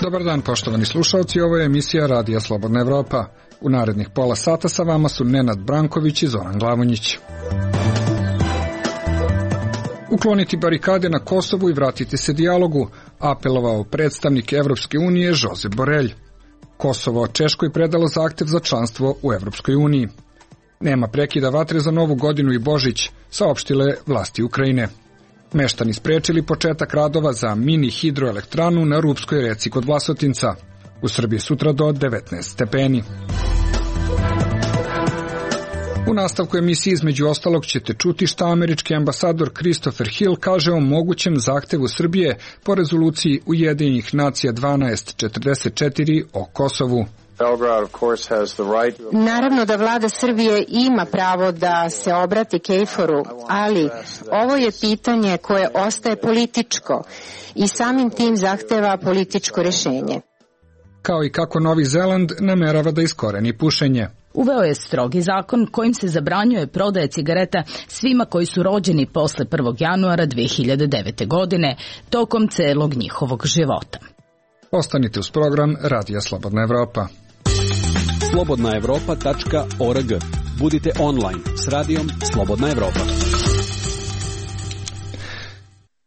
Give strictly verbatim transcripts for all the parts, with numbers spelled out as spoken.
Dobar dan, poštovani slušalci, ovo je emisija Radija Slobodna Evropa. U narednih pola sata sa vama su Nenad Branković i Zoran Glavonjić. Ukloniti barikade na Kosovu i vratiti se dijalogu, apelovao predstavnik Evropske unije Josep Borrell. Kosovo Češkoj predalo zahtev za članstvo u Evropskoj uniji. Nema prekida vatre za Novu godinu i Božić, saopštile vlasti Ukrajine. Meštani sprečili početak radova za mini hidroelektranu na Rupskoj reci kod Vlasotinca. U Srbiji sutra do devetnaest stepeni. U nastavku emisije između ostalog ćete čuti šta američki ambasador Christopher Hill kaže o mogućem zahtevu Srbije po rezoluciji Ujedinjenih nacija dvanaest četrdeset četiri o Kosovu. Naravno da vlada Srbije ima pravo da se obrati Kejforu, ali ovo je pitanje koje ostaje političko i samim tim zahteva političko rješenje. Kao i kako Novi Zeland namerava da iskoreni pušenje. Uveo je strogi zakon kojim se zabranjuje prodaja cigareta svima koji su rođeni posle prvog januara dve hiljade devete. godine, tokom celog njihovog života. Ostanite uz program Radija Slobodna Evropa. slobodna evropa tačka org. Budite online s radijom Slobodna Evropa.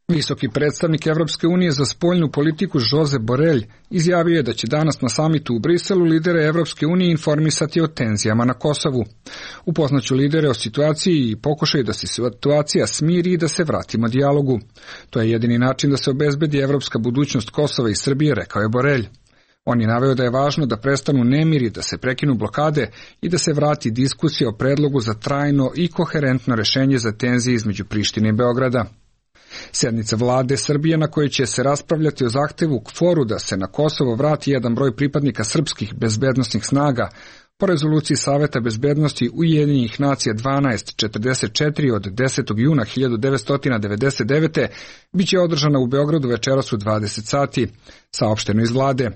Visoki predstavnik Evropske unije za spoljnu politiku Josep Borrell izjavio je da će danas na samitu u Briselu lidere Evropske unije informisati o tenzijama na Kosovu. Upoznaću lidere o situaciji i pokušaju da se situacija smiri i da se vratimo dijalogu. To je jedini način da se obezbedi evropska budućnost Kosova i Srbije, rekao je Borrell. On je naveo da je važno da prestanu nemiri, da se prekinu blokade i da se vrati diskusija o predlogu za trajno i koherentno rešenje za tenzije između Prištine i Beograda. Sednica vlade Srbije na kojoj će se raspravljati o zahtevu KFOR-u da se na Kosovo vrati jedan broj pripadnika srpskih bezbednosnih snaga po rezoluciji Saveta bezbednosti Ujedinjenih nacija dvanaest četrdeset četiri od desetog juna hiljadu devetsto devedeset devete biće održana u Beogradu večeras u dvadeset sati, saopšteno iz vlade.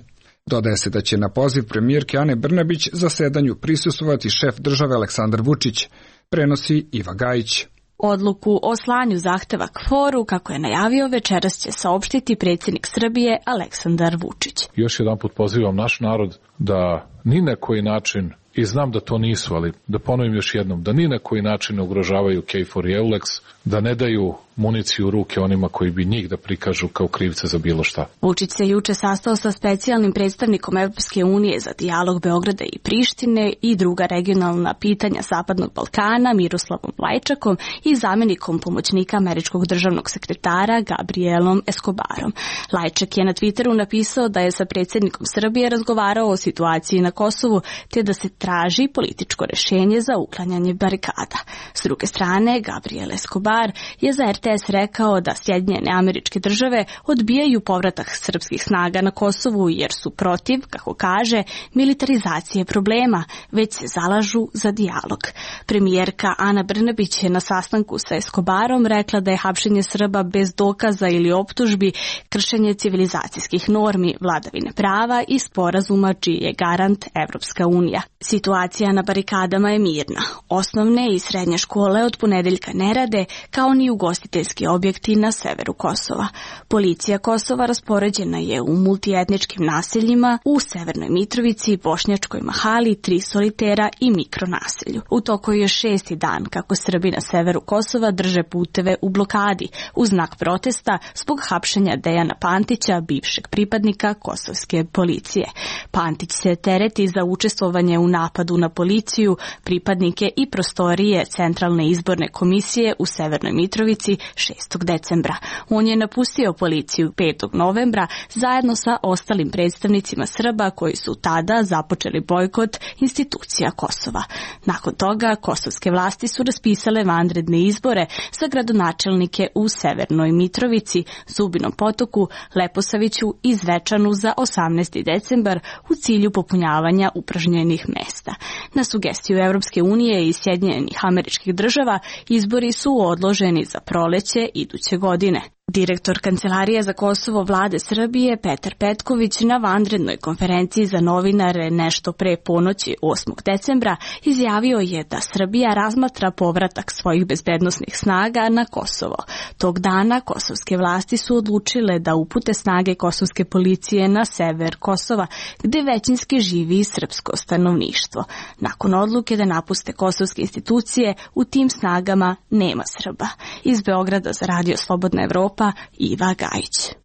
Dodaje se da će na poziv premijerke Ane Brnabić zasedanju prisustvovati šef države Aleksandar Vučić, prenosi Iva Gajić. Odluku o slanju zahteva KFOR-u, kako je najavio, večeras će saopštiti predsjednik Srbije Aleksandar Vučić. Još jedan put pozivam naš narod da ni na koji način, i znam da to nisu, ali da ponovim još jednom, da ni na koji način ne ugrožavaju KFOR i EULEX, da ne daju municiju u ruke onima koji bi njih da prikažu kao krivce za bilo šta. Vučić se juče sastao sa specijalnim predstavnikom Evropske unije za dijalog Beograda i Prištine i druga regionalna pitanja Zapadnog Balkana Miroslavom Lajčakom i zamjenikom pomoćnika američkog državnog sekretara Gabrielom Escobarom. Lajčak je na Twitteru napisao da je sa predsjednikom Srbije razgovarao o situaciji na Kosovu te da se traži političko rješenje za uklanjanje barikada. S druge strane, Gabriel Escobar je za R T S rekao da Sjedinjene Američke Države odbijaju povratak srpskih snaga na Kosovu jer su protiv, kako kaže, militarizacije problema, već se zalažu za dijalog. Premijerka Ana Brnabić je na sastanku sa Escobarom rekla da je hapšenje Srba bez dokaza ili optužbi kršenje civilizacijskih normi, vladavine prava i sporazuma čiji je garant Evropska unija. Situacija na barikadama je mirna. Osnovne i srednje škole od ponedeljka ne rade, kao ni ugostiteljski objekti na severu Kosova. Policija Kosova raspoređena je u multietničkim naseljima u Severnoj Mitrovici, Bošnjačkoj Mahali, Tri solitera i mikronaselju. U toku je šesti dan kako Srbi na severu Kosova drže puteve u blokadi u znak protesta zbog hapšenja Dejana Pantića, bivšeg pripadnika kosovske policije. Pantić se tereti za učestvovanje u napadu na policiju, pripadnike i prostorije Centralne izborne komisije u Severnoj Mitrovici šestog decembra. On je napustio policiju petog novembra zajedno sa ostalim predstavnicima Srba koji su tada započeli bojkot institucija Kosova. Nakon toga kosovske vlasti su raspisale vanredne izbore za gradonačelnike u Severnoj Mitrovici, Zubinom Potoku, Leposaviću i Zvečanu za osamnaesti decembar u cilju popunjavanja upražnjenih mesta. Na sugestiju Evropske unije i Sjedinjenih Američkih Država izbori su odloženi za proleće iduće godine. Direktor Kancelarije za Kosovo vlade Srbije Petar Petković na vanrednoj konferenciji za novinare nešto pre ponoći osmog decembra izjavio je da Srbija razmatra povratak svojih bezbednosnih snaga na Kosovo. Tog dana kosovske vlasti su odlučile da upute snage kosovske policije na sever Kosova, gde većinski živi srpsko stanovništvo. Nakon odluke da napuste kosovske institucije, u tim snagama nema Srba. Iz Beograda za Radio Slobodna Evropa Iva Gajić.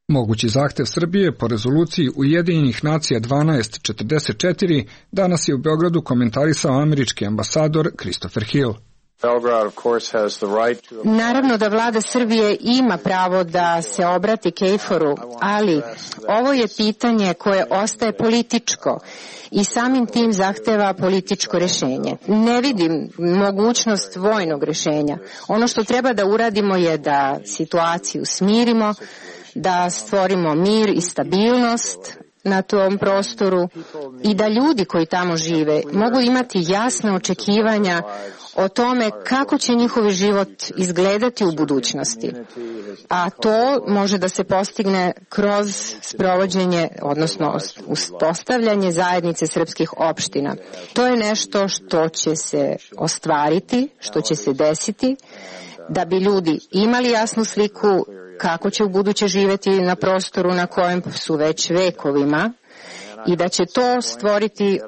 Mogući zahtev Srbije po rezoluciji Ujedinjenih nacija dvanaest četrdeset četiri danas je u Beogradu komentarisao američki ambasador Christopher Hill. Naravno da vlada Srbije ima pravo da se obrati Kejforu, ali ovo je pitanje koje ostaje političko i samim tim zahteva političko rešenje. Ne vidim mogućnost vojnog rešenja. Ono što treba da uradimo je da situaciju smirimo, da stvorimo mir i stabilnost na tom prostoru i da ljudi koji tamo žive mogu imati jasne očekivanja o tome kako će njihov život izgledati u budućnosti. A to može da se postigne kroz sprovođenje, odnosno uspostavljanje zajednice srpskih opština. To je nešto što će se ostvariti, što će se desiti, da bi ljudi imali jasnu sliku kako će u buduće živeti na prostoru na kojem su već vekovima i da će to stvoriti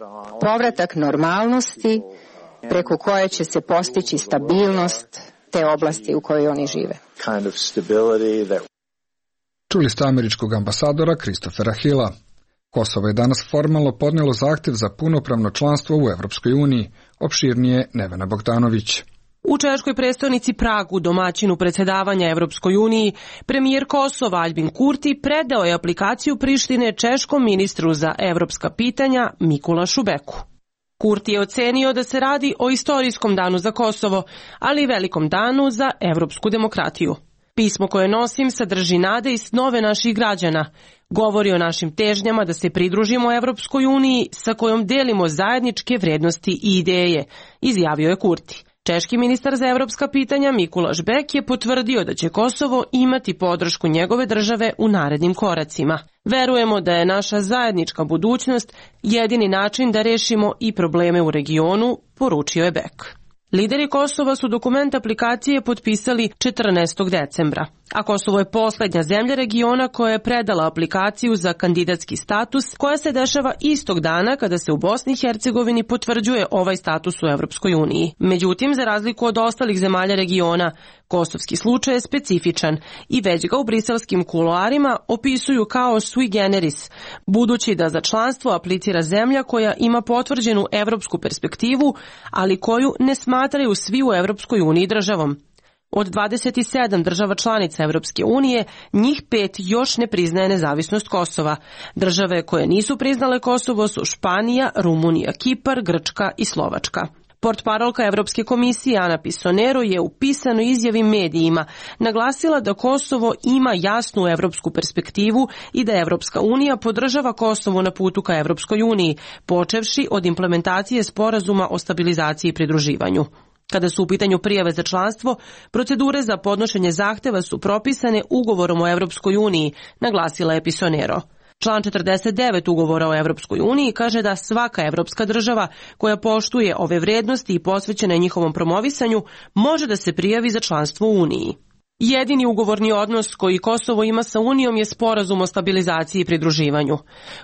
povratak normalnosti preko koje će se postići stabilnost te oblasti u kojoj oni žive. Čuli ste američkog ambasadora Christophera Hilla. Kosovo je danas formalno podnelo zahtev za punopravno članstvo u Evropskoj uniji, opširnije Nevena Bogdanović. U češkoj prestonici Pragu, domaćinu predsjedavanja Evropskoj uniji, premijer Kosova Aljbin Kurti predao je aplikaciju Prištine češkom ministru za evropska pitanja Mikulašu Beku. Kurti je ocenio da se radi o istorijskom danu za Kosovo, ali i velikom danu za evropsku demokratiju. Pismo koje nosim sadrži nade i snove naših građana. Govori o našim težnjama da se pridružimo Evropskoj uniji sa kojom delimo zajedničke vrednosti i ideje, izjavio je Kurti. Češki ministar za evropska pitanja Mikulaš Bek je potvrdio da će Kosovo imati podršku njegove države u narednim koracima. Verujemo da je naša zajednička budućnost jedini način da rešimo i probleme u regionu, poručio je Bek. Lideri Kosova su dokument aplikacije potpisali četrnaestog decembra, a Kosovo je poslednja zemlja regiona koja je predala aplikaciju za kandidatski status, koja se dešava istog dana kada se u Bosni i Hercegovini potvrđuje ovaj status u Evropskoj uniji. Međutim, za razliku od ostalih zemalja regiona, kosovski slučaj je specifičan i već ga u briselskim kuloarima opisuju kao sui generis, budući da za članstvo aplicira zemlja koja ima potvrđenu evropsku perspektivu, ali koju ne smatraju svi u Evropskoj uniji državom. Od dvadeset sedam država članica Evropske unije, njih pet još ne priznaje nezavisnost Kosova. Države koje nisu priznale Kosovo su Španija, Rumunija, Kipar, Grčka i Slovačka. Portparolka Evropske komisije Ana Pisonero je u pisanoj izjavi medijima naglasila da Kosovo ima jasnu evropsku perspektivu i da Evropska unija podržava Kosovo na putu ka Evropskoj uniji, počevši od implementacije sporazuma o stabilizaciji i pridruživanju. Kada su u pitanju prijave za članstvo, procedure za podnošenje zahteva su propisane ugovorom o Evropskoj uniji, naglasila je Pisonero. Član četrdeset devet ugovora o Evropskoj uniji kaže da svaka evropska država koja poštuje ove vrednosti i posvećena je njihovom promovisanju može da se prijavi za članstvo u Uniji. Jedini ugovorni odnos koji Kosovo ima sa Unijom je sporazum o stabilizaciji i pridruživanju.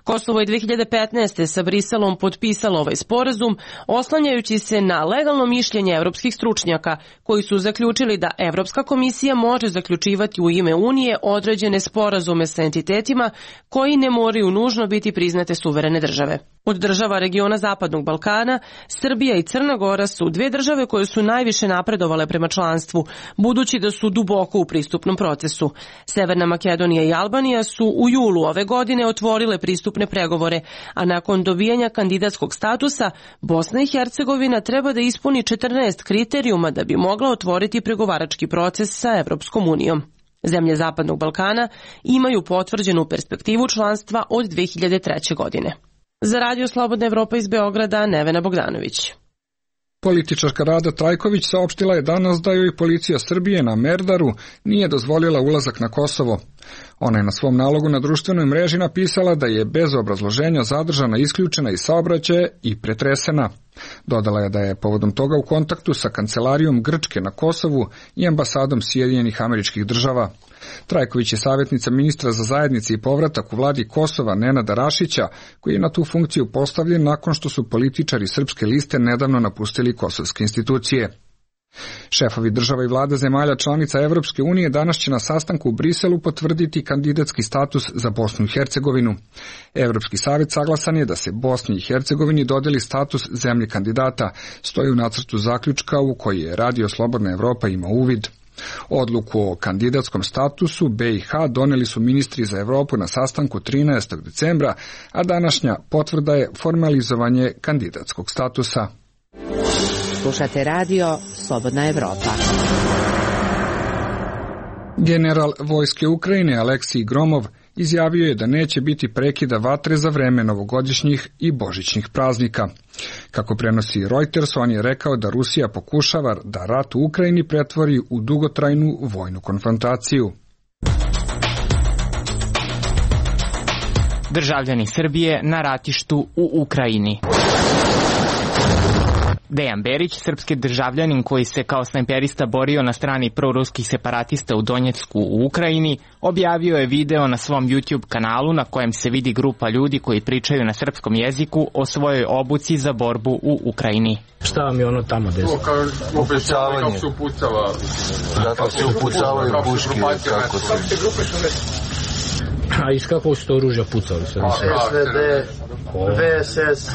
Kosovo je dve hiljade petnaeste. sa Briselom potpisalo ovaj sporazum, oslanjajući se na legalno mišljenje evropskih stručnjaka, koji su zaključili da Evropska komisija može zaključivati u ime Unije određene sporazume sa entitetima koji ne moraju nužno biti priznate suverene države. Od država regiona Zapadnog Balkana, Srbija i Crna Gora su dve države koje su najviše napredovale prema članstvu, budući da su duboko u pristupnom procesu. Severna Makedonija i Albanija su u julu ove godine otvorile pristupne pregovore, a nakon dobijanja kandidatskog statusa, Bosna i Hercegovina treba da ispuni četrnaest kriterijuma da bi mogla otvoriti pregovarački proces sa Evropskom unijom. Zemlje Zapadnog Balkana imaju potvrđenu perspektivu članstva od dve hiljade treće. godine. Za Radio Slobodna Evropa iz Beograda, Nevena Bogdanović. Političarka Rada Trajković saopštila je danas da joj policija Srbije na Merdaru nije dozvolila ulazak na Kosovo. Ona je na svom nalogu na društvenoj mreži napisala da je bez obrazloženja zadržana, isključena iz saobraćaja i pretresena. Dodala je da je povodom toga u kontaktu sa kancelarijom Grčke na Kosovu i ambasadom Sjedinjenih Američkih Država. Trajković je savjetnica ministra za zajednice i povratak u vladi Kosova Nenada Rašića, koji je na tu funkciju postavljen nakon što su političari Srpske liste nedavno napustili kosovske institucije. Šefovi država i vlada zemalja članica Evropske unije danas će na sastanku u Briselu potvrditi kandidatski status za Bosnu i Hercegovinu. Evropski savjet saglasan je da se Bosni i Hercegovini dodeli status zemlje kandidata, stoji u nacrtu zaključka u koji je Radio Slobodna Evropa ima uvid. Odluku o kandidatskom statusu B i H doneli su ministri za Evropu na sastanku trinaestog decembra, a današnja potvrda je formalizovanje kandidatskog statusa. Slušate radio Slobodna Evropa. General vojske Ukrajine Aleksij Gromov izjavio je da neće biti prekida vatre za vreme novogodišnjih i božićnih praznika. Kako prenosi Reuters, on je rekao da Rusija pokušava da rat u Ukrajini pretvori u dugotrajnu vojnu konfrontaciju. Državljani Srbije na ratištu u Ukrajini. Dejan Berić, srpski državljanin koji se kao snajperista borio na strani proruskih separatista u Donjecku u Ukrajini, objavio je video na svom YouTube kanalu na kojem se vidi grupa ljudi koji pričaju na srpskom jeziku o svojoj obuci za borbu u Ukrajini. Šta vam je ono tamo desilo? Upucavanje. Kako se upucava? Zato se upucavaju puške. Kako se... A iz kakvog ste oružja pucali? S V D, V S S,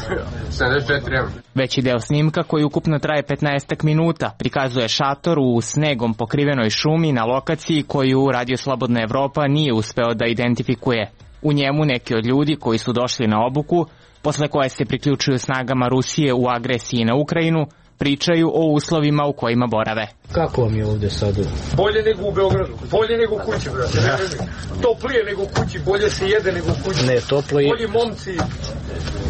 sedamdeset četiri M. Veći deo snimka, koji ukupno traje petnaestak minuta, prikazuje šator u snegom pokrivenoj šumi na lokaciji koju Radio Slobodna Evropa nije uspeo da identifikuje. U njemu neki od ljudi koji su došli na obuku, posle koje se priključuju snagama Rusije u agresiji na Ukrajinu, pričaju o uslovima u kojima borave. Kako vam je ovde sad? Bolje nego u Beogradu, bolje nego u kući, brate. Ja. Toplije nego u kući, bolje se jede nego u kući. Ne, toplo je. Bolji momci.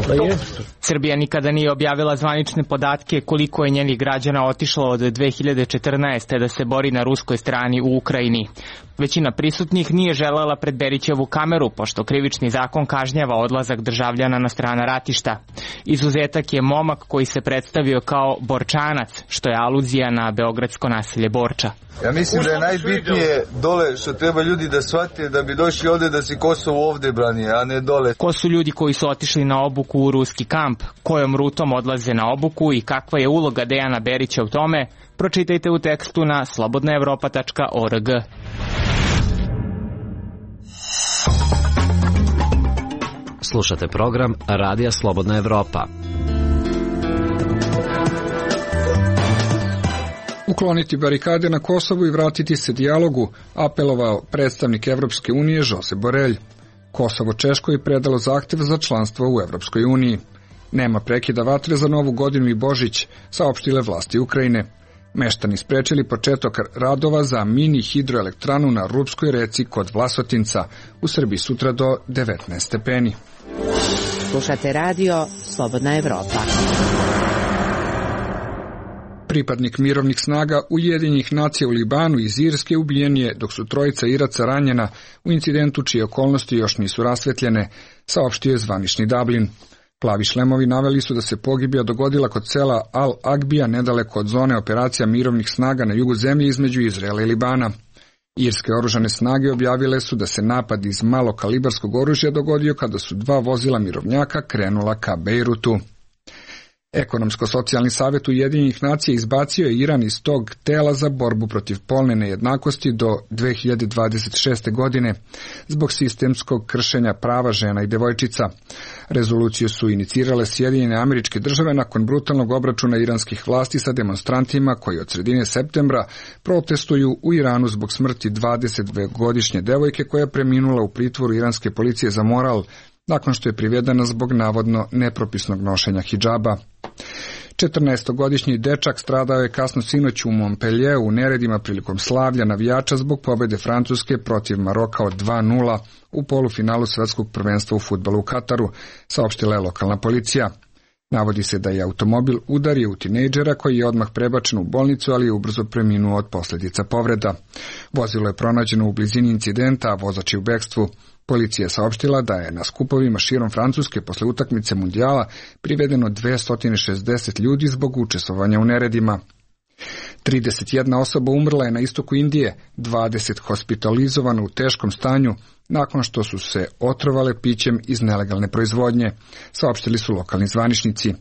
Pa je. Srbija nikada nije objavila zvanične podatke koliko je njenih građana otišlo od dve hiljade četrnaeste. da se bori na ruskoj strani u Ukrajini. Većina prisutnih nije želela pred Berićevu kameru, pošto krivični zakon kažnjava odlazak državljana na strana ratišta. Izuzetak je momak koji se predstavio kao Borčanac, što je aluzija na beogradsko naselje Borča. Ja mislim da je najbitnije dole što treba ljudi da shvate da bi došli ovde da se Kosovo ovde brani, a ne dole. Ko su ljudi koji su otišli na obuku u ruski kamp, kojom rutom odlaze na obuku i kakva je uloga Dejana Berića u tome, pročitajte u tekstu na slobodna evropa tačka org. Slušate program Radija Slobodna Evropa. Ukloniti barikade na Kosovu i vratiti se dijalogu, apelovao predstavnik Evropske unije Josep Borelj. Kosovo Češkoj je predalo zahtev za članstvo u Evropskoj uniji. Nema prekida vatre za Novu godinu i Božić, saopštile vlasti Ukrajine. Meštani sprečili početak radova za mini hidroelektranu na Rupskoj reci kod Vlasotinca, u Srbiji sutra do devetnaest stepeni. Slušate radio Slobodna Evropa. Pripadnik mirovnih snaga Ujedinjenih nacija u Libanu iz Irske ubijen je, dok su trojica Iraca ranjena u incidentu čije okolnosti još nisu rasvetljene, saopštio je zvanični Dublin. Plavi šlemovi naveli su da se pogibija dogodila kod sela Al-Agbija, nedaleko od zone operacija mirovnih snaga na jugu zemlje između Izraela i Libana. Irske oružane snage objavile su da se napad iz malokalibarskog oružja dogodio kada su dva vozila mirovnjaka krenula ka Bejrutu. Ekonomsko-socijalni savjet Ujedinjenih nacija izbacio je Iran iz tog tela za borbu protiv polne nejednakosti do dve hiljade dvadeset šeste. godine zbog sistemskog kršenja prava žena i devojčica. Rezoluciju su inicirale Sjedinjene Američke Države nakon brutalnog obračuna iranskih vlasti sa demonstrantima koji od sredine septembra protestuju u Iranu zbog smrti dvadesetdvogodišnje devojke koja je preminula u pritvoru iranske policije za moral nakon što je privedena zbog navodno nepropisnog nošenja hidžaba. četrnaestogodišnji dečak stradao je kasno sinoć u Montpellieru u neredima prilikom slavlja navijača zbog pobede Francuske protiv Maroka od dva nula u polufinalu svetskog prvenstva u fudbalu u Kataru, saopštila je lokalna policija. Navodi se da je automobil udario u tinejdžera koji je odmah prebačen u bolnicu, ali je ubrzo preminuo od posljedica povreda. Vozilo je pronađeno u blizini incidenta, a vozač je u bekstvu. Policija je saopštila da je na skupovima širom Francuske posle utakmice mundijala privedeno dvesta šezdeset ljudi zbog učestvovanja u neredima. trideset jedna osoba umrla je na istoku Indije, dvadeset hospitalizovano u teškom stanju nakon što su se otrovale pićem iz nelegalne proizvodnje, saopštili su lokalni zvaničnici.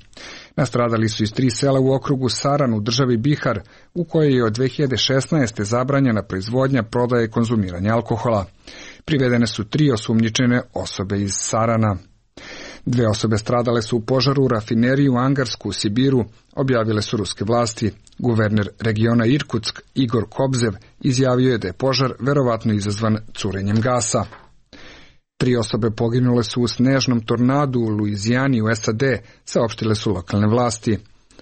Nastradali su iz tri sela u okrugu Saran u državi Bihar, u kojoj je od dve hiljade šesnaeste zabranjena proizvodnja, prodaja i konzumiranje alkohola. Privedene su tri osumnjičene osobe iz Sarana. Dve osobe stradale su u požaru u rafineriji u Angarsku u Sibiru, objavile su ruske vlasti. Guverner regiona Irkutsk Igor Kobzev izjavio je da je požar verovatno izazvan curenjem gasa. Tri osobe poginule su u snežnom tornadu u Luizijani u S A D, saopštile su lokalne vlasti.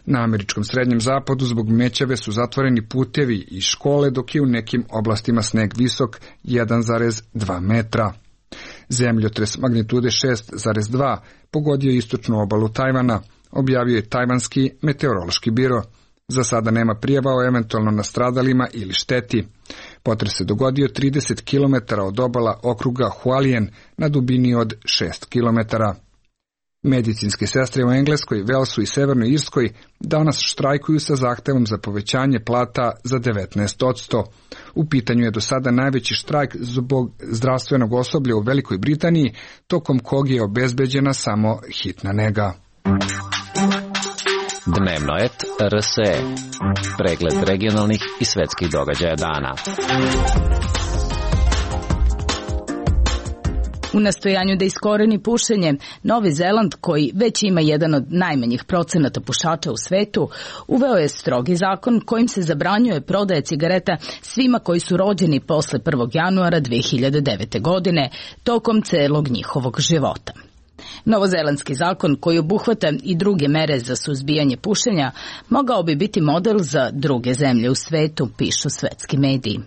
Na američkom srednjem zapadu zbog mećave su zatvoreni putevi i škole, dok je u nekim oblastima sneg visok jedan zarez dva metra. Zemljotres magnitude šest zarez dva pogodio istočnu obalu Tajvana, objavio je Tajvanski meteorološki biro. Za sada nema prijava o eventualno nastradalima ili šteti. Potres se dogodio trideset kilometara od obala okruga Hualien na dubini od šest kilometara. Medicinske sestre u Engleskoj, Velsu i Severnoj Irskoj danas štrajkuju sa zahtevom za povećanje plata za devetnaest posto. U pitanju je do sada najveći štrajk zbog zdravstvenog osoblja u Velikoj Britaniji, tokom kog je obezbeđena samo hitna nega. Dnevno et R S E. Pregled regionalnih i svetskih događaja dana. U nastojanju da iskoreni pušenje, Novi Zeland, koji već ima jedan od najmanjih procenata pušača u svetu, uveo je strogi zakon kojim se zabranjuje prodaja cigareta svima koji su rođeni posle prvog januara dve hiljade devete. godine, tokom celog njihovog života. Novozelandski zakon, koji obuhvata i druge mere za suzbijanje pušenja, mogao bi biti model za druge zemlje u svetu, pišu svetski mediji.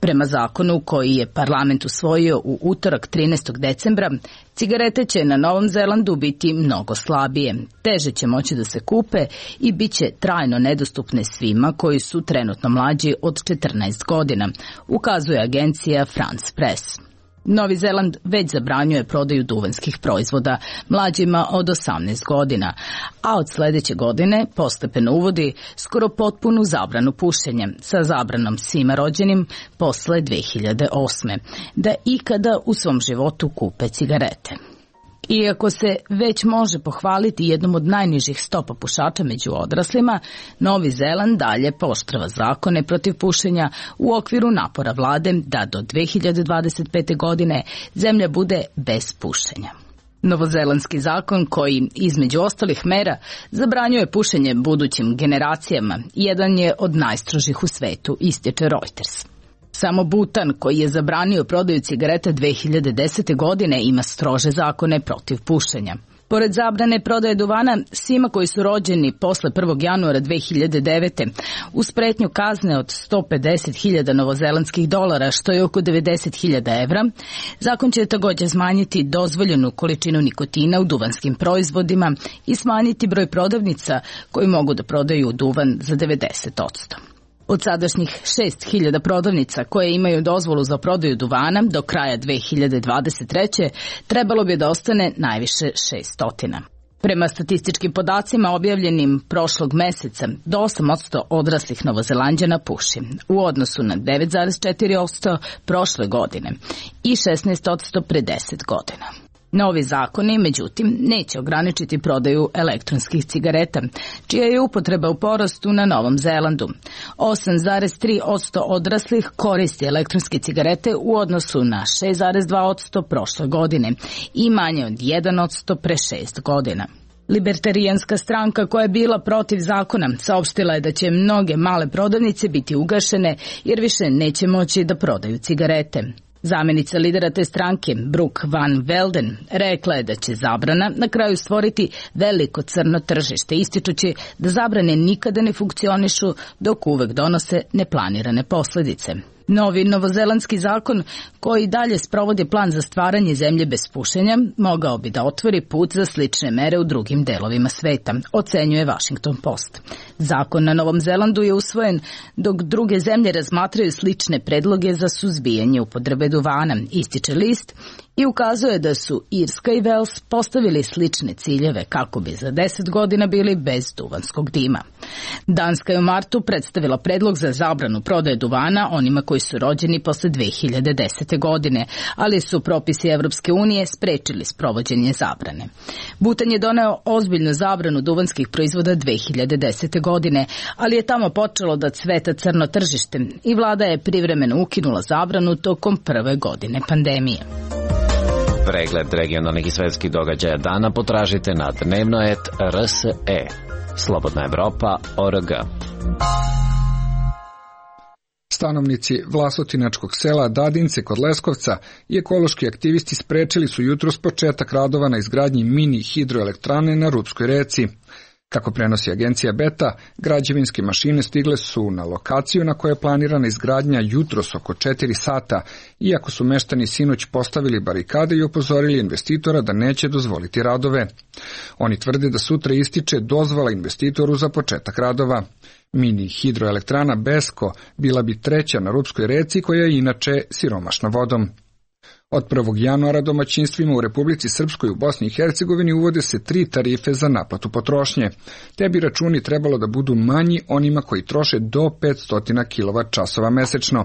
Prema zakonu koji je parlament usvojio u utorak trinaestog decembra, cigarete će na Novom Zelandu biti mnogo slabije, teže će moći da se kupe i bit će trajno nedostupne svima koji su trenutno mlađi od četrnaest godina, ukazuje agencija France Press. Novi Zeland već zabranjuje prodaju duvanskih proizvoda mlađima od osamnaest godina, a od sledeće godine postepeno uvodi skoro potpunu zabranu pušenja sa zabranom svima rođenim posle dve hiljade osme. da ikada u svom životu kupe cigarete. Iako se već može pohvaliti jednom od najnižih stopa pušača među odraslima, Novi Zeland dalje pooštrava zakone protiv pušenja u okviru napora vlade da do dve hiljade dvadeset pete. godine zemlja bude bez pušenja. Novozelandski zakon koji, između ostalih mera, zabranjuje pušenje budućim generacijama, jedan je od najstrožih u svetu, ističe Reuters. Samo Butan, koji je zabranio prodaju cigareta dve hiljade desete. godine, ima strože zakone protiv pušenja. Pored zabrane prodaje duvana svima koji su rođeni posle prvog januara dve hiljade devete. uz pretnju kazne od sto pedeset hiljada novozelandskih dolara, što je oko devedeset hiljada evra, zakon će također smanjiti dozvoljenu količinu nikotina u duvanskim proizvodima i smanjiti broj prodavnica koji mogu da prodaju duvan za devedeset posto. Od sadašnjih šest hiljada prodavnica koje imaju dozvolu za prodaju duvana do kraja dve hiljade dvadeset treće. trebalo bi da ostane najviše šeststo. Prema statističkim podacima objavljenim prošlog meseca, do osam posto odraslih Novozelanđana puši, u odnosu na devet zarez četiri posto prošle godine i šesnaest posto pre deset godina. Novi zakoni, međutim, neće ograničiti prodaju elektronskih cigareta, čija je upotreba u porastu na Novom Zelandu. osam zarez tri posto odraslih koristi elektronske cigarete u odnosu na šest zarez dva posto prošle godine i manje od jedan posto pre šest godina. Libertarijanska stranka, koja je bila protiv zakona, saopštila je da će mnoge male prodavnice biti ugašene jer više neće moći da prodaju cigarete. Zamenica lidera te stranke, Brooke Van Velden, rekla je da će zabrana na kraju stvoriti veliko crno tržište, ističući da zabrane nikada ne funkcionišu dok uvek donose neplanirane posledice. Novi novozelandski zakon koji dalje sprovodi plan za stvaranje zemlje bez pušenja mogao bi da otvori put za slične mere u drugim delovima sveta, ocenjuje Washington Post. Zakon na Novom Zelandu je usvojen dok druge zemlje razmatraju slične predloge za suzbijanje upotrebe duvana, ističe list, i ukazuje da su Irska i Vels postavili slične ciljeve kako bi za deset godina bili bez duvanskog dima. Danska je u martu predstavila predlog za zabranu prodaje duvana onima koji su rođeni posle dve hiljade desete. godine, ali su propisi Evropske unije sprečili sprovođenje zabrane. Butan je doneo ozbiljnu zabranu duvanskih proizvoda dve hiljade desete. godine, ali je tamo počelo da cveta crno tržište i vlada je privremeno ukinula zabranu tokom prve godine pandemije. Pregled regionalnih i svetskih događaja dana potražite na dnevnoet R S E. Slobodna Evropa точка O R G. Stanovnici Vlasotinačkog sela Dadince kod Leskovca i ekološki aktivisti sprečili su jutros početak radova na izgradnji mini hidroelektrane na Rupskoj reci. Kako prenosi agencija Beta, građevinske mašine stigle su na lokaciju na kojoj je planirana izgradnja jutros oko četiri sata, iako su meštani sinoć postavili barikade i upozorili investitora da neće dozvoliti radove. Oni tvrde da sutra ističe dozvola investitoru za početak radova. Mini hidroelektrana Besko bila bi treća na Rupskoj reci, koja je inače siromašna vodom. Od prvog januara domaćinstvima u Republici Srpskoj u Bosni i Hercegovini uvode se tri tarife za naplatu potrošnje. Te bi računi trebalo da budu manji onima koji troše do petsto kilovat časova mesečno,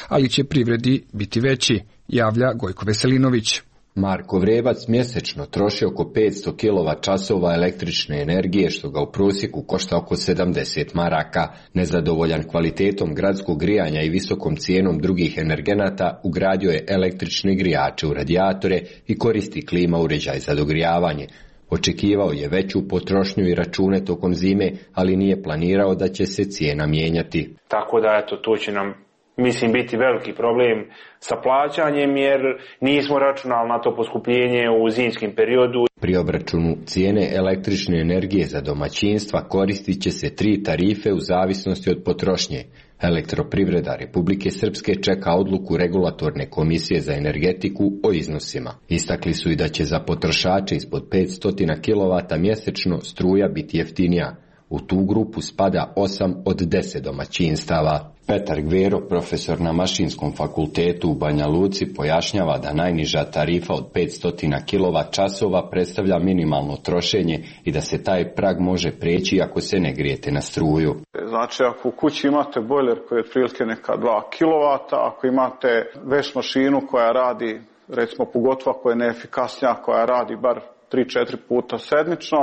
ali će privredi biti veći, javlja Gojko Veselinović. Marko Vrebac mjesečno troši oko petsto kilovat časova električne energije, što ga u prosjeku košta oko sedamdeset maraka. Nezadovoljan kvalitetom gradskog grijanja i visokom cijenom drugih energenata, ugradio je električne grijače u radijatore i koristi klima uređaj za dogrijavanje. Očekivao je veću potrošnju i račune tokom zime, ali nije planirao da će se cijena mijenjati. Tako da eto, to će nam, mislim, biti veliki problem sa plaćanjem, jer nismo računali na to poskupljenje u zimskim periodu. Pri obračunu cijene električne energije za domaćinstva koristit će se tri tarife u zavisnosti od potrošnje. Elektroprivreda Republike Srpske čeka odluku Regulatorne komisije za energetiku o iznosima. Istakli su i da će za potrošače ispod petsto kilovata mjesečno struja biti jeftinija. U tu grupu spada osam od deset domaćinstava. Petar Gvero, profesor na Mašinskom fakultetu u Banja Luci, pojašnjava da najniža tarifa od petsto kilovat časova predstavlja minimalno trošenje i da se taj prag može preći ako se ne grijete na struju. Znači, ako u kući imate bojler koji je otprilike neka dva kilovata, ako imate veš mašinu koja radi, recimo pogotovo koja je neefikasnija, koja radi bar tri četiri puta sedmično,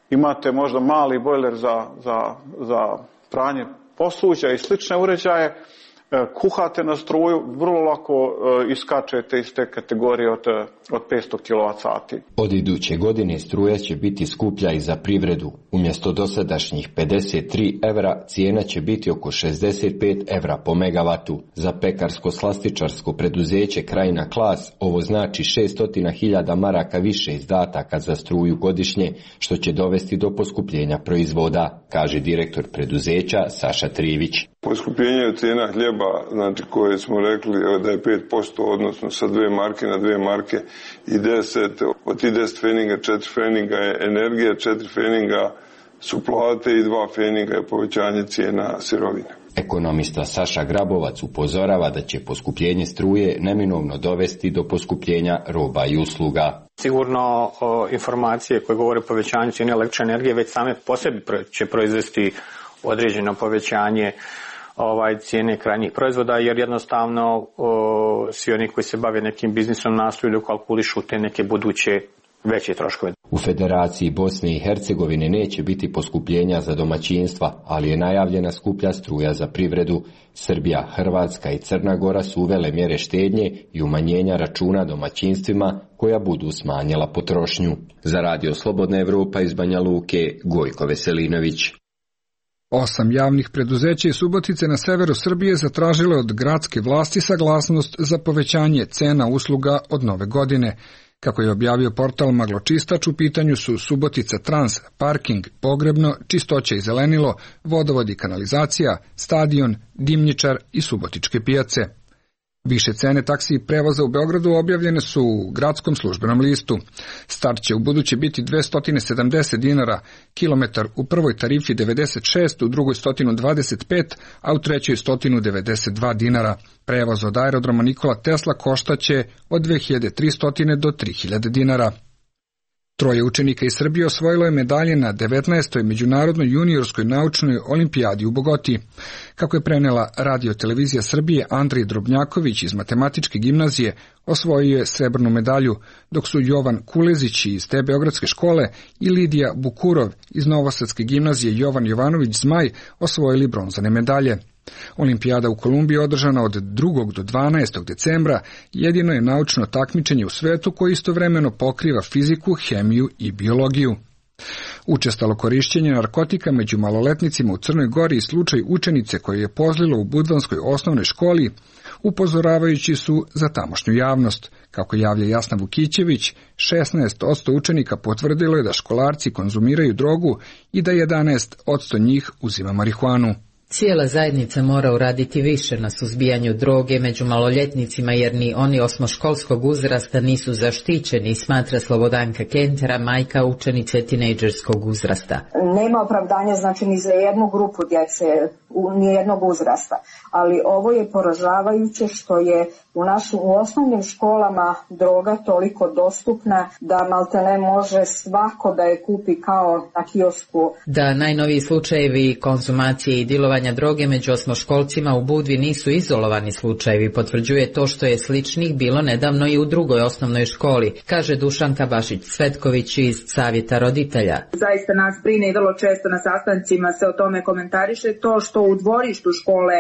imate možda mali bojler za, za, za pranje posuđa i slične uređaje, kuhate na struju, vrlo lako iskačete iz te kategorije od, od petsto kilovat sati. Od iduće godine struja će biti skuplja i za privredu. Umjesto dosadašnjih pedeset tri evra, cijena će biti oko šezdeset pet evra po megavatu. Za pekarsko-slastičarsko preduzeće Krajina Klas ovo znači šesto hiljada maraka više izdataka za struju godišnje, što će dovesti do poskupljenja proizvoda, kaže direktor preduzeća Saša Trivić. Poskupljenje cijena hljeba, znači koje smo rekli da je pet posto, odnosno sa dve marke na dve marke i deset, od tih deset feninga, četiri feninga je energija, četiri feninga su plate i dva feninga je povećanje cijena sirovine. Ekonomista Saša Grabovac upozorava da će poskupljenje struje neminovno dovesti do poskupljenja roba i usluga. Sigurno o, informacije koje govore o povećanju cijene električne energije već same po sebi će proizvesti određeno povećanje ovaj cijene krajnjih proizvoda, jer jednostavno o, svi oni koji se bave nekim biznisom nastoju da kalkulišu te neke buduće veće troškove. U Federaciji Bosne i Hercegovine neće biti poskupljenja za domaćinstva, ali je najavljena skuplja struja za privredu. Srbija, Hrvatska i Crna Gora su uvele mjere štednje i umanjenja računa domaćinstvima koja budu smanjila potrošnju. Za Radio Slobodna Evropa iz Banja Luke, Gojko Veselinović. Osam javnih preduzeća iz Subotice na severu Srbije zatražile od gradske vlasti saglasnost za povećanje cena usluga od nove godine. Kako je objavio portal Magločistač, u pitanju su Subotica Trans, parking, pogrebno, čistoća i zelenilo, vodovod i kanalizacija, stadion, dimnjičar i subotičke pijace. Više cene taksi i prevoza u Beogradu objavljene su u gradskom službenom listu. Start će u buduće biti dvesta sedamdeset dinara, kilometar u prvoj tarifi devedeset šest, u drugoj sto dvadeset pet, a u trećoj sto devedeset dva dinara. Prevoz od aerodroma Nikola Tesla koštaće od dve hiljade tristo do tri hiljade dinara. Troje učenika iz Srbije osvojilo je medalje na devetnaestoj međunarodnoj juniorskoj naučnoj olimpijadi u Bogoti. Kako je prenela Radio televizija Srbije, Andrej Drobnjaković iz Matematičke gimnazije osvojio je srebrnu medalju, dok su Jovan Kulezić iz te beogradske škole i Lidija Bukurov iz Novosadske gimnazije Jovan Jovanović Zmaj osvojili bronzane medalje. Olimpijada u Kolumbiji održana od drugog do dvanaestog decembra jedino je naučno takmičenje u svetu koje istovremeno pokriva fiziku, hemiju i biologiju. Učestalo korišćenje narkotika među maloletnicima u Crnoj Gori i slučaj učenice koje je pozlilo u Budvanskoj osnovnoj školi upozoravajući su za tamošnju javnost. Kako javlja Jasna Vukićević, šesnaest posto učenika potvrdilo je da školarci konzumiraju drogu i da jedanaest posto njih uzima marihuanu. Cijela zajednica mora uraditi više na suzbijanju droge među maloljetnicima jer ni oni osmoškolskog uzrasta nisu zaštićeni, smatra Slobodanka Kentera, majka učenice tinejdžerskog uzrasta. Nema opravdanja znači ni za jednu grupu djece, ni jednog uzrasta, ali ovo je poražavajuće što je u našim u osnovnim školama droga toliko dostupna da maltene može svako da je kupi kao na kiosku. Da najnoviji slučajevi konzumacije i dilovanja droge među osmoškolcima u Budvi nisu izolovani slučajevi, potvrđuje to što je sličnih bilo nedavno i u drugoj osnovnoj školi, kaže Dušanka Bašić-Cvetković iz Savjeta roditelja. Zaista nas brine i vrlo često na sastancima se o tome komentariše to što u dvorištu škole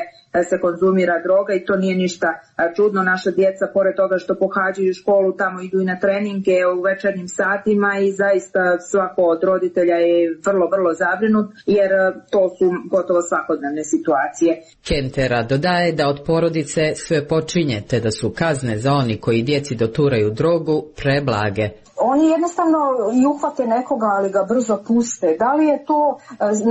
se konzumira droga i to nije ništa čudno. Naša djeca, pored toga što pohađaju školu, tamo idu i na treninge u večernjim satima i zaista svako od roditelja je vrlo, vrlo zabrinut jer to su gotovo svakodnevne situacije. Kentera dodaje da od porodice sve počinje, te da su kazne za oni koji djeci doturaju drogu preblage. Oni jednostavno i uhvate nekoga, ali ga brzo puste. Da li je to,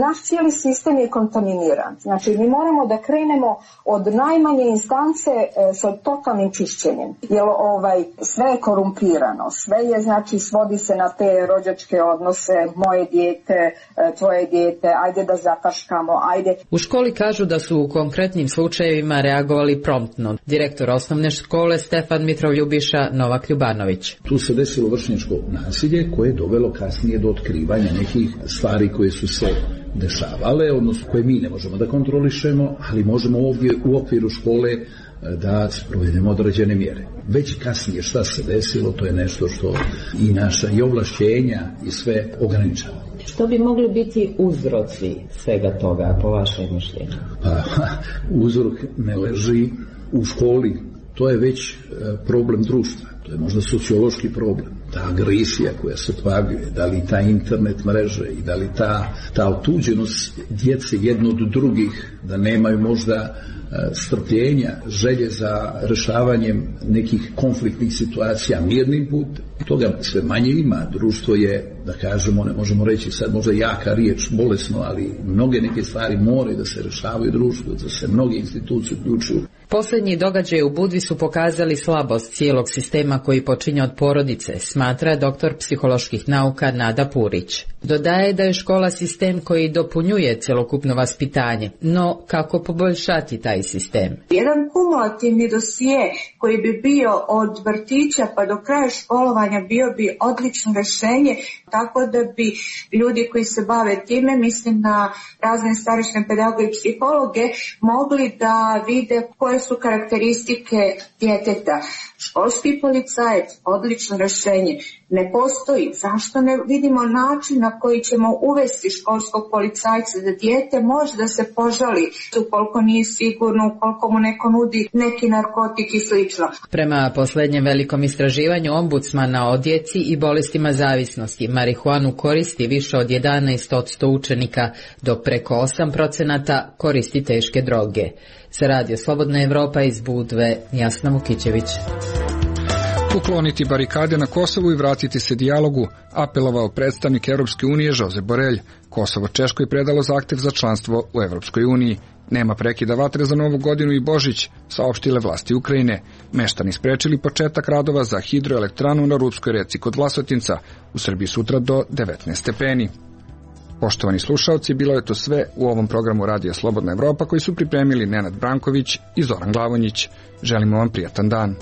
naš cijeli sistem je kontaminiran. Znači, mi moramo da krenemo od najmanje instance e, sa totalnim čišćenjem. Jer ovaj, sve je korumpirano, sve je, znači, svodi se na te rođačke odnose, moje dijete, e, tvoje dijete, ajde da zataškamo, ajde. U školi kažu da su u konkretnim slučajevima reagovali promptno. Direktor osnovne škole Stefan Mitroljubiša Novak Ljubanović. Tu se desilo vršenje nasilje koje je dovelo kasnije do otkrivanja nekih stvari koje su se dešavale, odnosno koje mi ne možemo da kontrolišemo, ali možemo ovdje u okviru škole da sprovedemo određene mjere. Već kasnije šta se desilo, to je nešto što i naša i ovlašćenja i sve ograničava. Što bi mogli biti uzroci svega toga, po vašem mišljenju? Pa, uzrok ne leži u školi, to je već problem društva. To je možda sociološki problem. Ta agresija koja se pojavljuje, da li ta internet mreže i da li ta, ta otuđenost djece jedno od drugih, da nemaju možda strpljenja, želje za rešavanjem nekih konfliktnih situacija mirnim putem. Toga sve manje ima. Društvo je, da kažemo, ne možemo reći sad možda jaka riječ, bolesno, ali mnoge neke stvari moraju da se rešavaju društvu, da se mnoge institucije uključuju. Posljednji događaji u Budvi su pokazali slabost cijelog sistema koji počinje od porodice, smatra doktor psiholoških nauka Nada Purić. Dodaje da je škola sistem koji dopunjuje cjelokupno vaspitanje, no kako poboljšati taj sistem? Jedan kumulativni dosije koji bi bio od vrtića pa do kraja školovanja bio bi odlično rješenje, tako da bi ljudi koji se bave time, mislim na razne starešne pedagoge i psihologe, mogli da vide koje su karakteristike djeteta. Školski policajac, odlično rješenje, ne postoji. Zašto ne vidimo način na koji ćemo uvesti školskog policajca da dijete može da se požali ukoliko nije sigurno, ukoliko mu neko nudi neki narkotik i slično. Prema posljednjem velikom istraživanju ombudsmana o djeci i bolestima zavisnosti, marihuanu koristi više od jedanaest posto učenika, dok preko osam procenata koristi teške droge. Za Radio Slobodna Evropa iz Budve, Jasna Vukićević. Ukloniti barikade na Kosovu i vratiti se dijalogu, apelovao predstavnik Evropske unije Josep Borrell. Kosovo Češkoj predalo zahtev za članstvo u Evropskoj uniji. Nema prekida vatre za Novu godinu i Božić, saopštile vlasti Ukrajine. Meštani sprečili početak radova za hidroelektranu na Rudskoj reci kod Vlasotinca. U Srbiji sutra do devetnaest stepeni. Poštovani slušaoci, bilo je to sve u ovom programu Radija Slobodna Evropa koji su pripremili Nenad Branković i Zoran Glavonjić. Želimo vam prijatan dan.